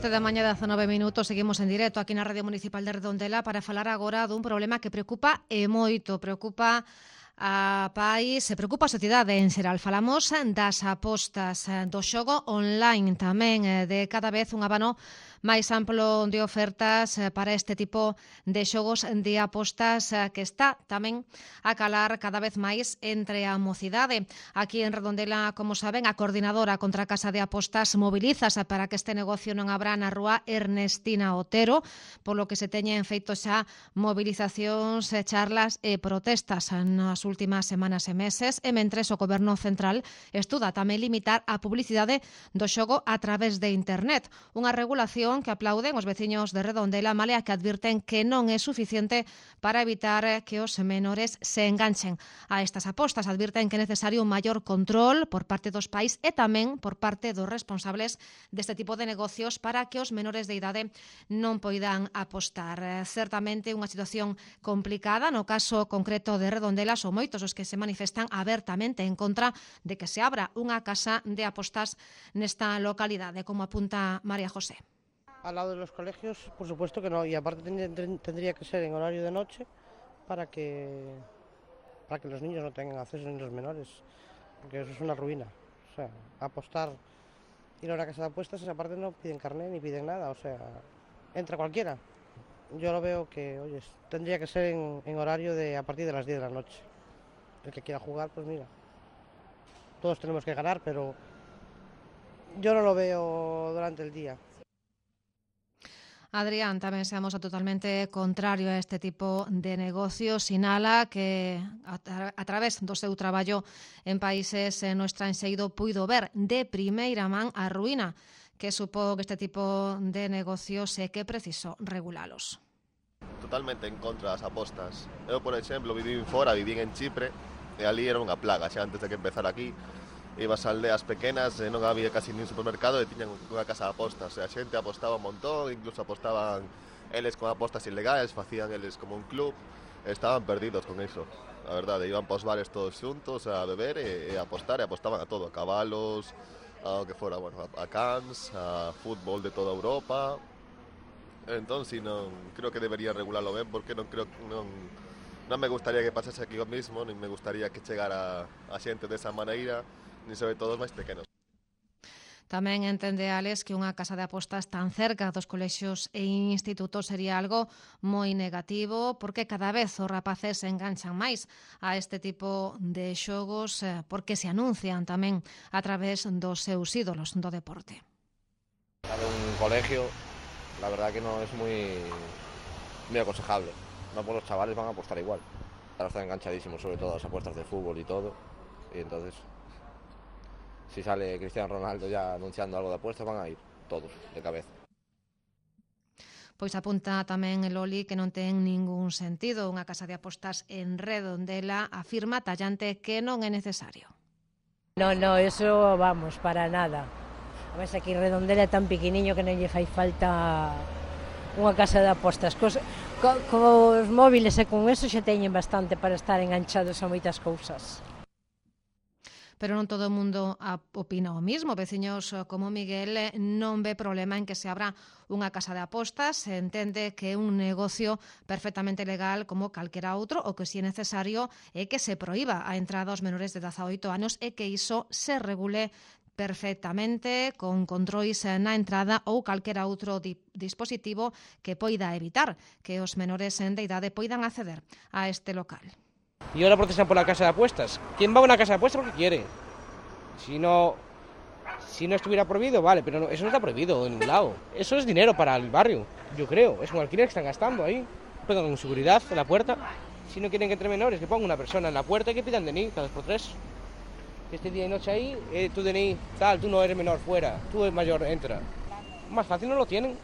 11 da mañá, 19 minutos, seguimos en directo aquí na Radio Municipal de Redondela para falar agora dun problema que preocupa e moito, preocupa a país, se preocupa a sociedade en xeral. Falamos das apostas, do xogo online tamén, de cada vez un abano máis amplo de ofertas para este tipo de xogos de apostas que está tamén a calar cada vez máis entre a mocidade. Aquí en Redondela, como saben, a coordinadora contra a Casa de Apostas mobilízase para que este negocio non abra na rúa Ernestina Otero, polo que se teñen feito xa movilizacións, charlas e protestas nas últimas semanas e meses, e mentres o Goberno Central estuda tamén limitar a publicidade do xogo a través de internet, unha regulación que aplauden os veciños de Redondela, malia que advirten que non é suficiente para evitar que os menores se enganchen a estas apostas. Advirten que é necesario un maior control por parte dos pais e tamén por parte dos responsables deste tipo de negocios para que os menores de idade non poidan apostar. Certamente unha situación complicada. No caso concreto de Redondela son moitos os que se manifestan abertamente en contra de que se abra unha casa de apostas nesta localidade, como apunta María José. Al lado de los colegios, por supuesto que no, y aparte tendría que ser en horario de noche para que los niños no tengan acceso, ni los menores, porque eso es una ruina. O sea, apostar, ir a una casa de apuestas, aparte no piden carnet ni piden nada, o sea, entra cualquiera. Yo lo veo que, oye, tendría que ser en horario de a partir de las 10 de la noche. El que quiera jugar, pues mira, todos tenemos que ganar, pero yo no lo veo durante el día. Adrián tamén se amosa totalmente contrario a este tipo de negocios. Sinala que a través do seu traballo en países no estranxeiro puido ver de primeira man a ruína que supón este tipo de negocios e que preciso regulalos. Totalmente en contra das apostas. Eu, por exemplo, vivín fora, vivín en Chipre e ali era unha plaga, xa antes de que empezar aquí. Ibas a aldeas pequenas e non había casi nin supermercado e tiñan unha casa de apostas. E a xente apostaba un montón, incluso apostaban eles con apostas ilegais, facían eles como un club, e estaban perdidos con iso. A verdade, iban para os bares todos xuntos a beber e a apostar, e apostaban a todo, a cabalos, a o que fora, bueno, a cans, a fútbol de toda Europa. Entón, si non, creo que debería regularlo ben, porque non me gustaría que pasase aquí o mismo, nin me gustaría que chegara a xente desa maneira, nin sobre todo os máis pequenos. Tamén entende Alex que unha casa de apostas tan cerca dos colexios e institutos sería algo moi negativo, porque cada vez os rapaces se enganchan máis a este tipo de xogos, porque se anuncian tamén a través dos seus ídolos do deporte. De un colegio, la verdad que no es muy aconsejable. No, pues los chavales van a apostar igual. Ahora están enganchadísimos, sobre todo a las apuestas de fútbol y todo, y entonces si sale Cristiano Ronaldo ya anunciando algo de apuestas, van a ir todos de cabeza. Pois apunta tamén el Oli que non ten ningún sentido. Unha casa de apostas en Redondela afirma tallante que non é necesario. No, eso vamos, para nada. A ver, aquí Redondela é tan pequeniño que non lle fai falta unha casa de apostas. Cos móviles e con eso xa teñen bastante para estar enganchados a moitas cousas. Pero non todo o mundo opina o mismo. Veciños como Miguel non ve problema en que se abra unha casa de apostas. Se entende que é un negocio perfectamente legal como calquera outro, o que si é necesario é que se proíba a entrada aos menores de 18 anos e que iso se regule perfectamente con controis na entrada ou calquera outro dispositivo que poida evitar que os menores de idade poidan acceder a este local. Y ahora protestan por la casa de apuestas. ¿Quién va a una casa de apuestas porque quiere? Si no estuviera prohibido, vale, pero eso no está prohibido en ningún lado. Eso es dinero para el barrio, yo creo. Es un alquiler que están gastando ahí. Pongan seguridad en la puerta. Si no quieren que entre menores, que pongan una persona en la puerta y que pidan DNI cada 2x3. Que esté día y noche ahí, tu DNI, tal, tú no eres menor, fuera. Tú eres mayor, entra. Más fácil no lo tienen.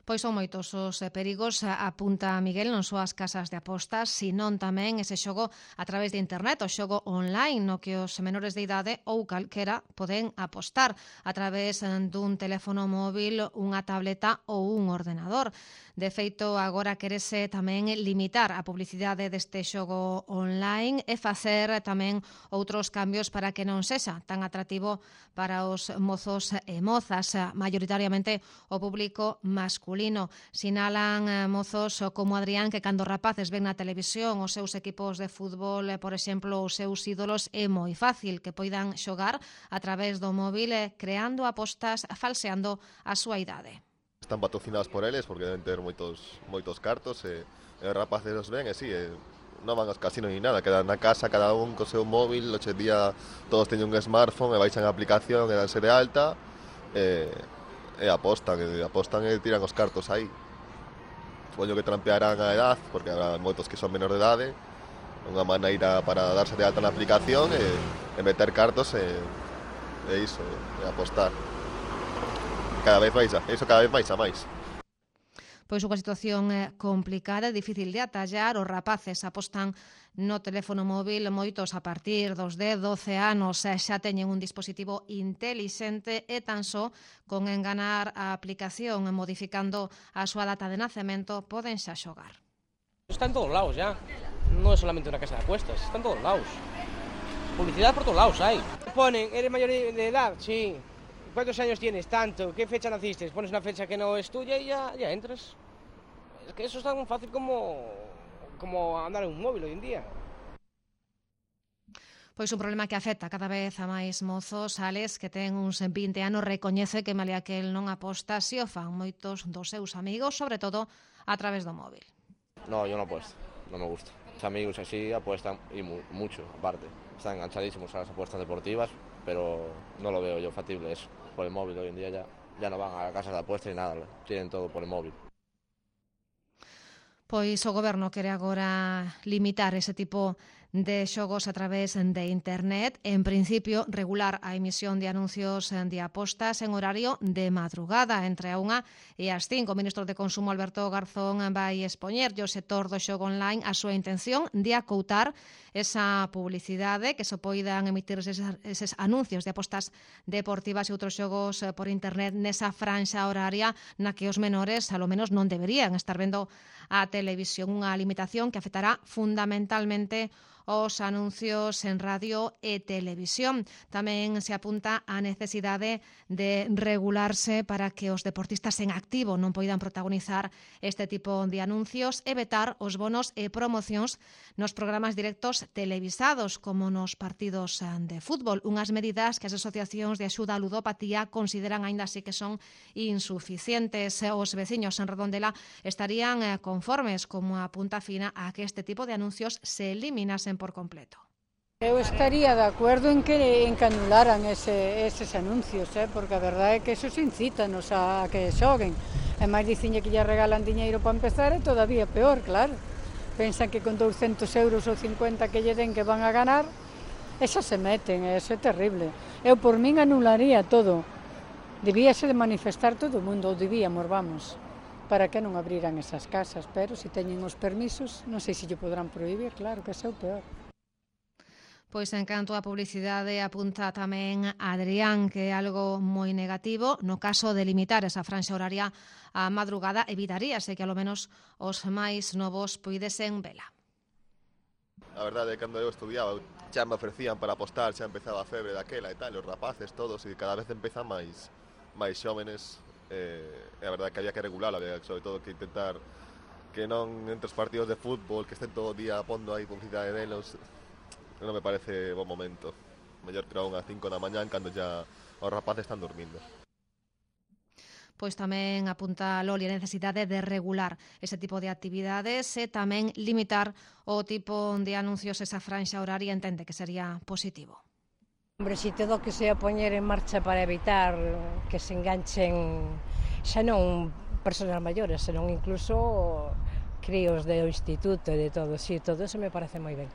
Pois son moitos os perigos, apunta Miguel, non só as casas de apostas, senón tamén ese xogo a través de internet, o xogo online, no que os menores de idade ou calquera poden apostar a través dun teléfono móvil, unha tableta ou un ordenador. De feito, agora querese tamén limitar a publicidade deste xogo online e facer tamén outros cambios para que non sexa tan atractivo para os mozos e mozas, maioritariamente o público masculino. Sinalan mozos como Adrián que cando rapaces ven na televisión os seus equipos de fútbol, por exemplo, os seus ídolos, é moi fácil que poidan xogar a través do móvil creando apostas falseando a súa idade. Están patrocinados por eles porque deben ter moitos cartos e os rapaces os ven e si, non van aos casinos ni nada, quedan na casa cada un co seu móvil, hoxe día todos teñen un smartphone e baixan a aplicación e danse de alta e apostan e tiran os cartos aí. Supoño que trampearán a edad porque habrá moitos que son menor de idade, unha maneira para darse de alta na aplicación e meter cartos e iso, e apostar. Cada vez máis a máis. Pois unha situación complicada, difícil de atallar. Os rapaces apostan no teléfono móvil, moitos a partir dos 10-12 anos xa teñen un dispositivo intelixente e tan só con enganar a aplicación e modificando a súa data de nacemento poden xa xogar. Está en todos lados ya, non é solamente unha casa de apuestas, está en todos lados. Publicidad por todos lados hai. Ponen, eres mayor de edad, sí. ¿Cuántos años tienes? Tanto. ¿Qué fecha naciste? Pones una fecha que no es tuya y ya entras. Es que eso es tan fácil como andar en un móvil hoy en día. Pois un problema que afecta cada vez a máis mozos. Alex, que ten uns 20 anos, recoñece que malia que el non aposta, si o fan moitos dos seus amigos, sobre todo a través do móvil. No, yo no apuesto, no me gusta. Los amigos así apuestan y mucho, aparte. Están enganchadísimos a las apuestas deportivas, pero no lo veo yo factible eso. Por el móvil hoy en día ya no van a casas de apuestas ni nada, tienen todo por el móvil. Pois o goberno quere agora limitar ese tipo de xogos a través de internet, en principio regular a emisión de anuncios de apostas en horario de madrugada entre a 1 e as 5. O ministro de Consumo Alberto Garzón vai expoñer ao sector do xogo online a súa intención de acoutar esa publicidade que se poidan emitir eses anuncios de apostas deportivas e outros xogos por internet nesa franxa horaria na que os menores alo menos non deberían estar vendo a televisión, unha limitación que afectará fundamentalmente os anuncios en radio e televisión. Tamén se apunta a necesidade de regularse para que os deportistas en activo non poidan protagonizar este tipo de anuncios e vetar os bonos e promocións nos programas directos televisados como nos partidos de fútbol. Unhas medidas que as asociacións de axuda á ludopatía consideran aínda así que son insuficientes. Os veciños en Redondela estarían conformes, como apunta Fina, a que este tipo de anuncios se eliminasen por completo. Eu estaría de acordo en que anularan eses anuncios, porque a verdade é que esos incítanos a que xoguen. E máis diciñe que lle regalan diñeiro para empezar é todavía peor, claro. Pensan que con 200 euros ou 50 que lle den que van a ganar, esas se meten, eso é terrible. Eu por min anularía todo. Debíase de manifestar todo o mundo, ou debíamos, vamos, para que non abriran esas casas, pero se teñen os permisos, non sei se lle podrán prohibir, claro que é o peor. Pois en canto a publicidade apunta tamén Adrián que é algo moi negativo. No caso de limitar esa franxa horaria á madrugada, evitaríase que alo menos os máis novos puidesen vela. A verdade é que cando eu estudiaba xa me ofrecían para apostar, xa empezaba a febre daquela e tal, os rapaces todos, e cada vez empezan máis xóvenes. A verdade é que había que regular, había sobre todo que intentar que non entre os partidos de fútbol que estén todo o día pondo aí publicidade delos. Non me parece bon momento. Mellor tirar unhas 5 da mañán cando ya os rapaces están dormindo. Pois tamén apunta Loli a necesidade de regular ese tipo de actividades e tamén limitar o tipo de anuncios esa franxa horaria, entende que sería positivo. Hombre, si todo que se a poñer en marcha para evitar que se enganchen xa non persoas maiores, senón incluso críos do instituto e de todo, sí, todo eso me parece moi ben.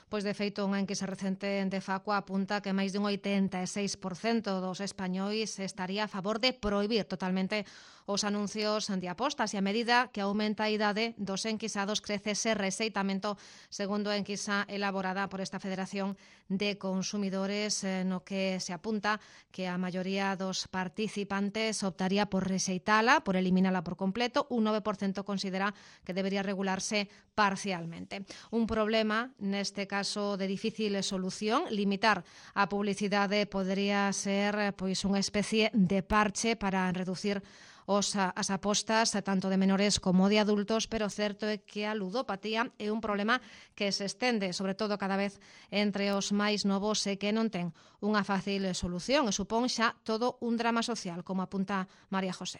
Pois de feito, unha enquisa recente de Facua apunta que máis dun 86% dos españois estaría a favor de prohibir totalmente os anuncios de apostas e a medida que aumenta a idade dos enquisados crece ese rexeitamento, segundo a enquisa elaborada por esta Federación de Consumidores, no que se apunta que a maioría dos participantes optaría por rexeitala, por eliminala por completo. Un 9% considera que debería regularse parcialmente. Un problema, neste caso de difícil solución, limitar a publicidade podería ser pois unha especie de parche para reducir as apostas tanto de menores como de adultos, pero certo é que a ludopatía é un problema que se estende, sobre todo cada vez entre os máis novos e que non ten unha fácil solución e supón xa todo un drama social, como apunta María José.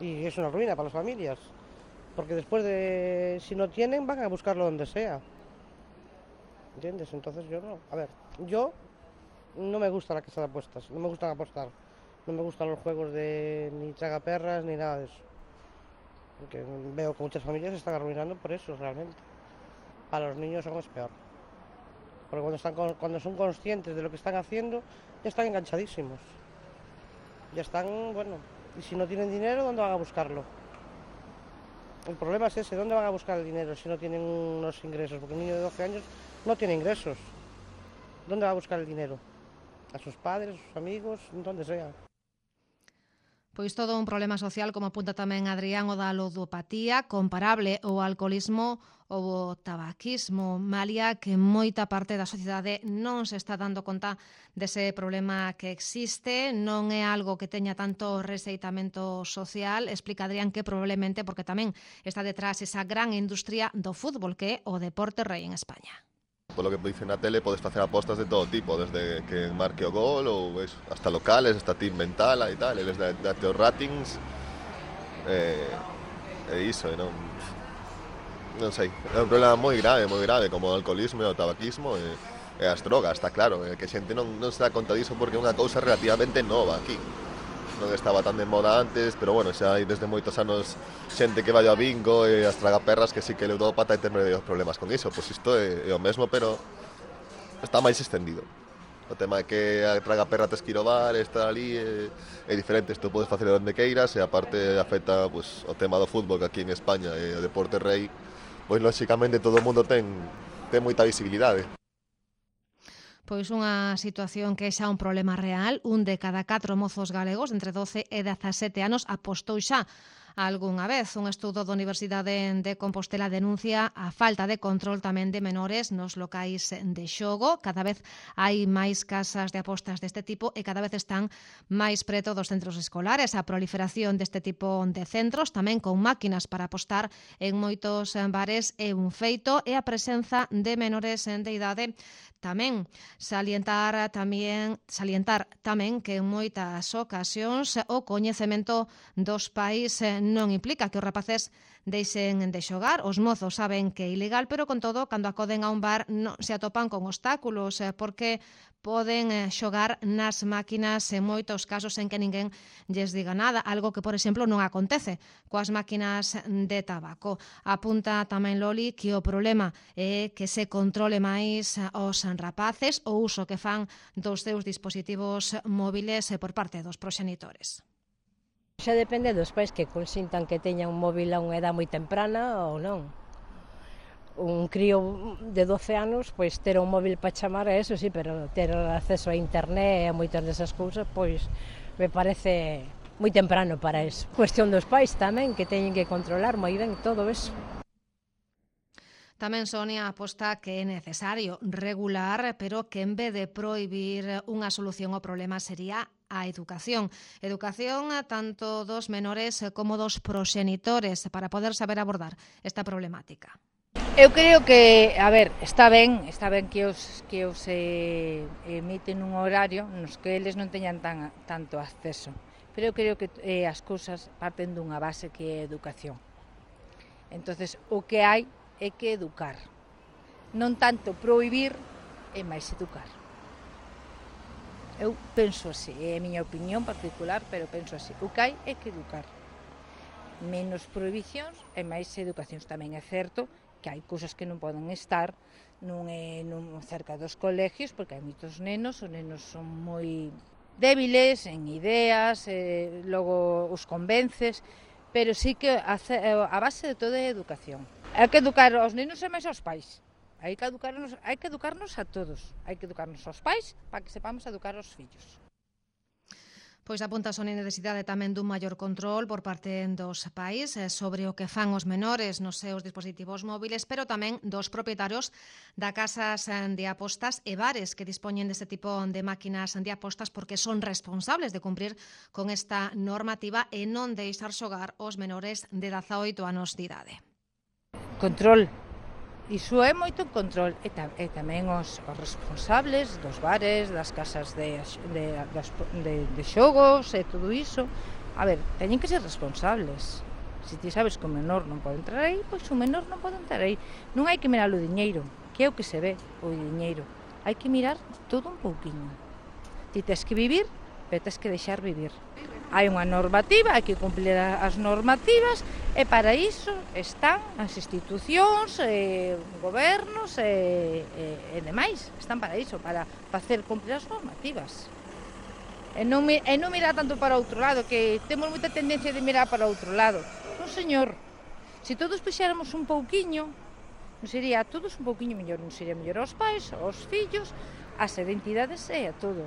Y es una ruina para las familias, porque después de, si no tienen, van a buscarlo donde sea. ¿Entiendes? Entonces yo no. A ver, yo no me gusta la casa de apuestas, no me gustan apostar. No me gustan los juegos de ni tragaperras ni nada de eso. Porque veo que muchas familias se están arruinando por eso realmente. Para los niños aún es peor. Porque cuando son conscientes de lo que están haciendo, ya están enganchadísimos. Ya están, bueno, y si no tienen dinero, ¿dónde van a buscarlo? El problema es ese, ¿dónde van a buscar el dinero si no tienen unos ingresos? Porque un niño de 12 años no tiene ingresos. ¿Dónde va a buscar el dinero? A sus padres, a sus amigos, donde sea. Pois todo un problema social, como apunta tamén Adrián, o da ludopatía, comparable ao alcoholismo ou o tabaquismo, malia que moita parte da sociedade non se está dando conta dese problema que existe, non é algo que teña tanto rexeitamento social, explica Adrián que probablemente porque tamén está detrás esa gran industria do fútbol que é o deporte rei en España. Por lo que dicen na tele, podes facer apostas de todo tipo, desde que marque o gol ou hasta locales, hasta team mental e tal, eles date os ratings e iso, non sei, é un problema moi grave, como o alcoholismo e o tabaquismo e as drogas, está claro, que a xente non se dá conta diso porque é unha cousa relativamente nova aquí. Non estaba tan de moda antes, pero bueno, xa hai desde moitos anos xente que vai ao bingo e as tragaperras que sí que é ludópata e ten medios problemas con iso. Pois isto é o mesmo, pero está máis extendido. O tema é que a tragaperra tes que ir ao bar, estar ali é diferente. Isto podes facer onde queiras e aparte afecta pues, o tema do fútbol que aquí en España e o deporte rei, pois lóxicamente todo o mundo ten moita visibilidade. Pois unha situación que é xa un problema real. Un de cada 4 mozos galegos entre 12 e 17 anos apostou xa algunha vez. Un estudo da Universidade de Compostela denuncia a falta de control tamén de menores nos locais de xogo. Cada vez hai máis casas de apostas deste tipo e cada vez están máis preto dos centros escolares. A proliferación deste tipo de centros, tamén con máquinas para apostar en moitos bares, é un feito, e a presenza de menores de idade tamén. Salientar tamén que en moitas ocasións o coñecemento dos pais non implica que os rapaces deixen de xogar. Os mozos saben que é ilegal, pero con todo, cando acoden a un bar non se atopan con obstáculos porque poden xogar nas máquinas en moitos casos en que ninguén lles diga nada, algo que, por exemplo, non acontece coas máquinas de tabaco. Apunta tamén Loli que o problema é que se controle máis os rapaces, o uso que fan dos seus dispositivos móviles por parte dos proxenitores. Xa depende dos pais que consintan que teñan un móvil a unha edad moi temprana ou non. Un crío de 12 anos, pois ter un móvil para chamar a eso, sí, pero ter acceso a internet e a moitas desas cousas, pois me parece moi temprano para eso. Cuestión dos pais tamén, que teñen que controlar moi ben todo eso. Tamén Sonia aposta que é necesario regular, pero que en vez de prohibir, unha solución ao problema sería a educación. Educación tanto dos menores como dos proxenitores para poder saber abordar esta problemática. Eu creo que, a ver, está ben que os emiten un horario nos que eles non teñan tanto acceso, pero eu creo que as cousas parten dunha base que é a educación. Entonces, o que hai é que educar, non tanto prohibir, é máis educar. Eu penso así, é a miña opinión particular, pero penso así, o que hai é que educar. Menos prohibicións e máis educacións. Tamén é certo que hai cousas que non poden estar cerca dos colegios, porque hai moitos nenos, os nenos son moi débiles en ideas, logo os convences, pero sí que a base de todo é educación. Hai que educar aos nenos e máis aos pais. Hai que educarnos a todos. Hai que educarnos aos pais para que sepamos educar aos fillos. Pois apunta a necesidade tamén dun maior control por parte dos pais sobre o que fan os menores nos seus dispositivos móviles, pero tamén dos propietarios da casas de apostas e bares que dispoñen deste tipo de máquinas de apostas porque son responsables de cumprir con esta normativa e non deixar xogar os menores de 18 anos de idade. Control. Iso é moito control e tamén os responsables dos bares, das casas de xogos e todo iso. A ver, teñen que ser responsables. Se ti sabes que o menor non pode entrar aí, pois o menor non pode entrar aí. Non hai que mirar o diñeiro, que é o que se ve, o diñeiro. Hai que mirar todo un pouquiño. Ti tes que vivir, pero tes que deixar vivir. Hai unha normativa, hai que cumplir as normativas e para iso están as institucións, gobernos e demais. Están para iso, para facer cumplir as normativas. E non mirar tanto para outro lado, que temos moita tendencia de mirar para outro lado. Non, señor, se todos puxéramos un pouquiño, non sería a todos un pouquiño mellor, non sería mellor aos pais, aos fillos, ás identidades e a todo.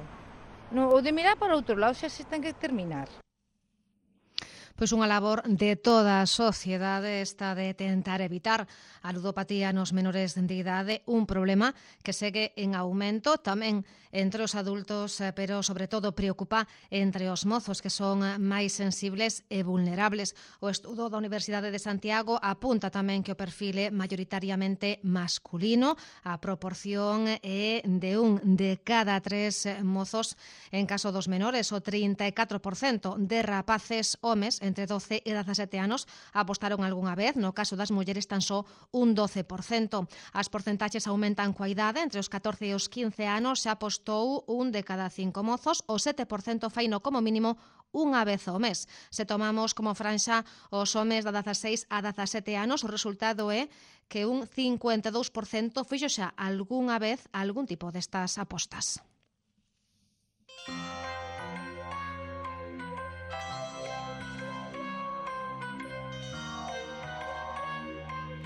No, o de mirar para outro lado xa se ten que terminar. Pois unha labor de toda a sociedade esta de tentar evitar a ludopatía nos menores de idade, un problema que segue en aumento tamén entre os adultos, pero sobre todo preocupa entre os mozos que son máis sensibles e vulnerables. O estudo da Universidade de Santiago apunta tamén que o perfil é maioritariamente masculino, a proporción é de 1 de cada 3 mozos. En caso dos menores, o 34% de rapaces homes entre 12 e 17 anos apostaron algunha vez, no caso das mulleres tan só un 12%. As porcentaxes aumentan coa idade, entre os 14 e os 15 anos xa apostou 1 de cada 5 mozos, o 7% faino como mínimo unha vez ao mes. Se tomamos como franxa os homes de 16 a 17 anos, o resultado é que un 52% fixo xa algunha vez algún tipo destas apostas.